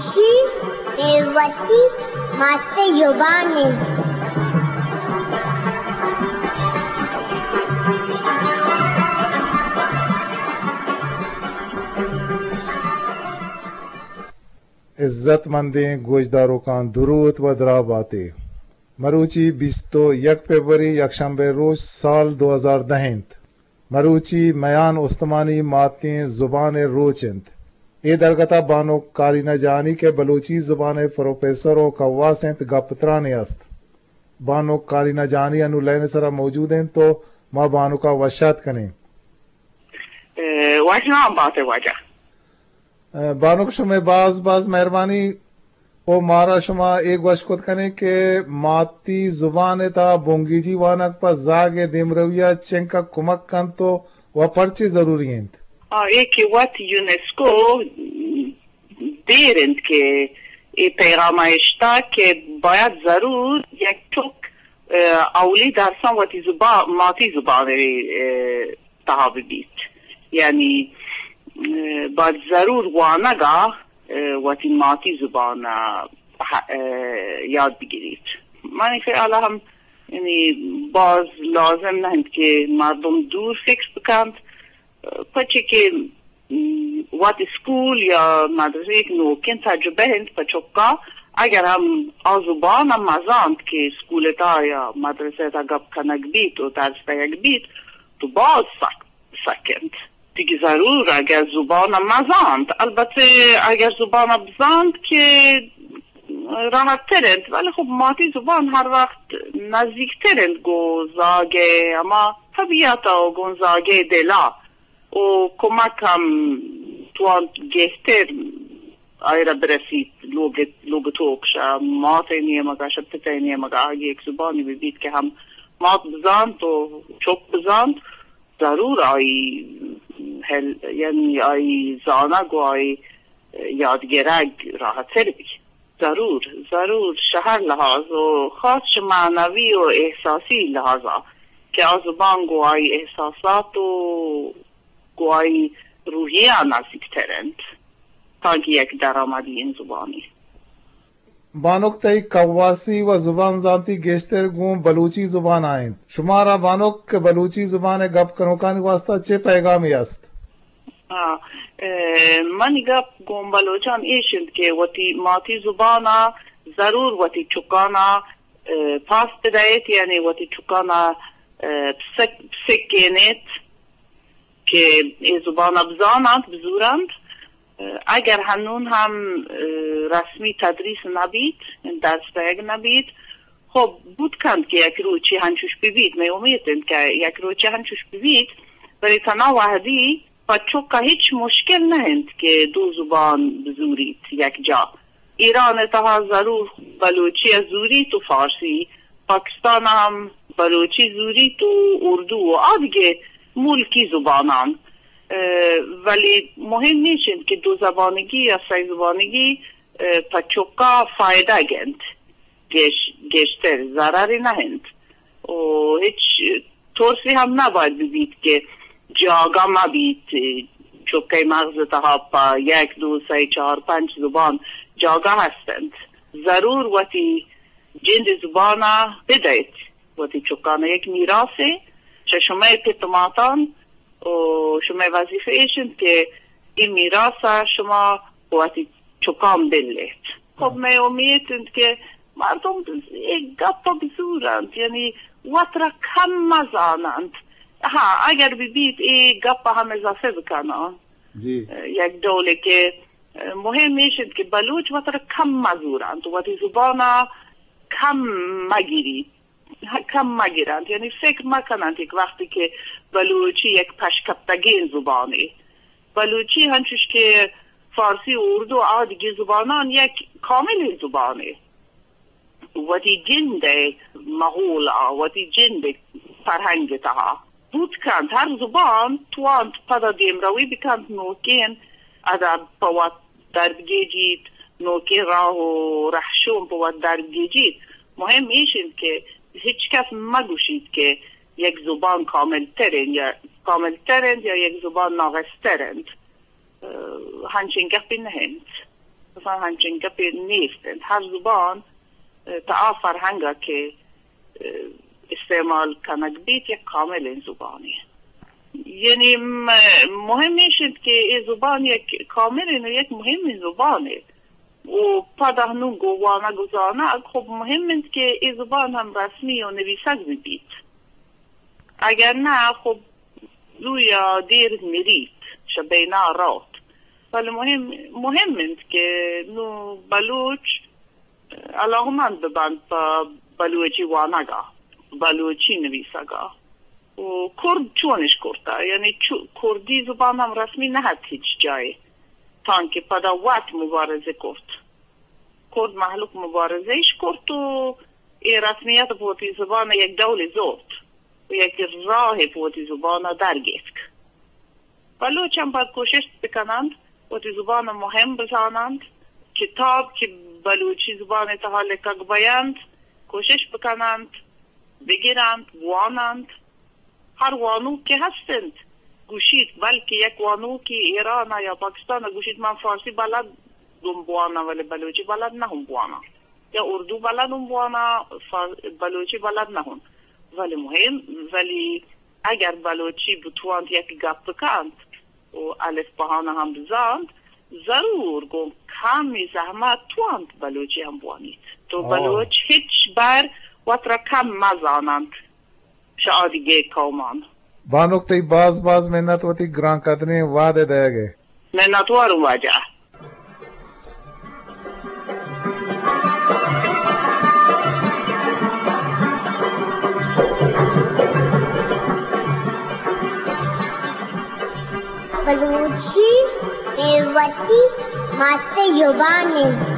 چی؟ اے وتی مات زبان انت۔ عزت مندیں گوشداروکاں، دروت و دراہ باتے۔ مروچی بیست و یک فبروری، یکشنبہ روچ، سال دو ہزار دہ انت۔ مروچی میان استمانی ماتیں زبان ء روچ انت۔ اے درگت ء بانک کارینہ جہانی کہ بلوچی زبان ء پروفیسر و کواس انت، گپ ترانے است۔ بانک کارینہ جہانی انو لائن ء سرا موجود انت تو ما بانک ء وشات کنیں۔ اے، وش نام باتے واجہ۔ بانک، شمئے باز باز مہربانی۔ او مارا شما اے گوش کت کنیں کہ ماتی زبان ء تہا بنگیجی وانگ پہ زاگ ء دیمروی ء چنکا کمک کنت و، و پرچے ضروری انت؟ آ، اے کہ وت یونیسکو دیر انت کہ اے پیغام ء اشتا کہ باید ضرور یک چک، اه، اولی درساں وتی زبان، ماتی زبان ء، اه، تہا ببیت۔ یعنی، اه، باید ضرور وانگا، اه، وتی ماتی زبان ء، اه، یاد بگیریت۔ منی خیال ء ہم، یعنی، باز لازم نہ انت کہ مردم دور فکر بکنت، پرچے کہ، م، وت اسکول یا مدرسہ یک نوکیں تجربہ انت پہ چکا، اگر ہم آ زبان ء مزانت کہ اسکول ء تہا یا مدرسہ ء تہا گپ کنگ بیت و درس دئیگ بیت، تو باز سک، سک انت۔ دیگہ ضرور اگر زبان ء مزانت، البتہ اگر زبان ء بزانت کہ راحت تر انت، ولی خب ماتی زبان ہر وقت نزیک تر انت گوں زاگ ء ہما طبیعت ء گوں زاگ ء دل ء۔ و کمک ہم توانت گہتر آئرا برسیت۔ لوگ، لوگ توک شہ مات ء نیمگا، شہ پت ء نیمگا، اگہ یک زبانی بہ بیت کہ ہم مات بزانت و چک بزانت، ضرور آئی ہل، یعنی آئی زانگ و آئی یادگرگ راحتر بیت۔ ضرور، ضرور، شہ ہر لحاظ و خاص شہ معنوی و احساسی لحاظا کہ آ زبان گوں آئی احساسات و گوں آئی روحیہ نزیکتر انت، تانکہ یک درآمدی این زبانی۔ بانک، تئی کواسی و زبان زانتی گیشتر گوں بلوچی زبان ء انت۔ شمارا بانک کہ بلوچی زبان ء گپ کنوکانی واسطہ چے پیغامے است؟ آ، اے، منی گپ گوں بلوچان ایش انت کہ وتی ماتی زبان ء ضرور وتی چکان ء، اے، پاس بدئیت، یعنی وتی چکان ء، اے، سک-، سکینیت کہ اے زبان ء بزاننت، بزورنت۔ اے، اگر ہنون ہم، اے، رسمی تدریس نہ بیت، درس دئیگ نہ بیت، خب، بوت کنت کہ یک روچے ہنچوش بہ بیت، مئے امیت انت کہ یک روچے ہنچوش بہ بیت، بلے تنا وہدی پہ چک ء ہچ مشکل نہ انت کہ دو زبان بزوریت یک جا۔ ایران ء تہا ضرور بلوچی ء زوریت و فارسی، پاکستان ء ہم بلوچی زوریت و اردو و آ دگہ ملکی زبانان۔ اه، ولی مہم ایش انت کہ دو زبانگی یا سئے زبانگی، اه، پہ چکا فائدہ گنت۔ گیش-، گیشتر ضررے نہ انت و ہچ ترسے ہم نہ باید بہ بیت کہ جاگہ مہ بیت۔ چکئے مغز تہا پہ یک، دو، سئے، چار، پنچ زبان جاگہ ہست انت۔ ضرور وتی جند زبان ء بدئیت، وتی چکان ء یک میراثے چہ شمئے پت و ماتان و شمئے وظیفہ ایش انت کہ اے میراث ء شما وتی چکان بل ایت۔ خب، مئے امیت انت کہ مردم اے گپ ء بزورنت، یعنی وت را کم مزاننت۔ ہاں، اگر بہ بیت اے گپ ء ہم اضافہ بکناں۔ جی۔ یک ڈولے کہ مہم ایش انت کہ بلوچ وت را کم مزورنت، وتی زبان ء کم مگیریت۔ کم مگرنت، یعنی فکر مکننت یک وقتی کہ بلوچی یک پشکپتگیں زبانے۔ بلوچی ہنچوش کہ فارسی و اردو آ دگہ زبانان یک کاملیں زبانے۔ وتی جند ء ماحول ء، وتی جند ء فرہنگ ء تہا بوت کنت۔ ہر زبان توانت پدا دیمروی بکنت، نوکیں ادب پہ وت در بگیجیت، نوکیں راہ و رہشون پہ وت در بگیجیت۔ مہم ایش انت کہ ہچ کس مگوشیت کہ یک زبان کامل تر انت یا، کامل تر انت یا یک زبان ناقص تر انت۔ اه، ہنچیں گپے نہ انت۔ مثلاً ہنچیں گپے نیست انت۔ ہر زبان، اه، تا آ فرہنگ ءَ کہ، اه، استعمال کنگ بیت، یک کاملیں زبانے۔ یعنی م-، مہم ایش انت کہ اے زبان یک کاملیں و یک مہمیں زبانے۔ و پدا نوں گوں وانگ و زانگ، خب مہم انت کہ اے زبان ہم رسمی و نویسگ بہ بیت۔ اگر نہ، خب زویا دیر مریت، شہ بینا روت۔ بلے مہم، مہم انت کہ نوں بلوچ علاقمند ببنت پہ بلوچی وانگا، بلوچی نویسگا۔ و کرد چونش کرتا؟ یعنی چو-، کردی زبان ہم رسمی نہ ات ہچ جائے، تانکہ پدا وت مبارزہ کرت۔ کرد مہلوک مبارزہ اش کرت و اے رسمیت پہ وتی زبان یک ڈولے زرت و یک راہے پہ وتی زبان در گیتک۔ بلوچ ہم باید کوشست بکننت، وتی زبان مہم بزاننت، کتاب کہ بلوچی زبان تہا لکگ بینت، کوشش بکننت، بگرنت، بواننت۔ ہر وانوک کہ ہست انت، گوشیت، بلکہ یک وانوکی ایران یا پاکستان گوشیت، من فارسی بلد گوں بواناں، ولی بلوچی بلد نہ ہوں بواناں، یا اردو بلد ہوں بواناں، فار-، بلوچی بلد نہ ہوں۔ ولی مہم، ولی اگر بلوچی بتوانت یک گپ کنت و الف بہانہ ہم بزانت، ضرور گوں کمی زحمت توانت بلوچی ہم بوانیت۔ تو آہ۔ بلوچ ہچ بر وترا کم مزاننت شہ آدگہ قومان۔ بانک، تئی باز باز منت وتی گران قدریں وہد ءِ دئیگ ءِ۔ منتواروں واجہ۔ بلوچی اے وتی مات زبان انت۔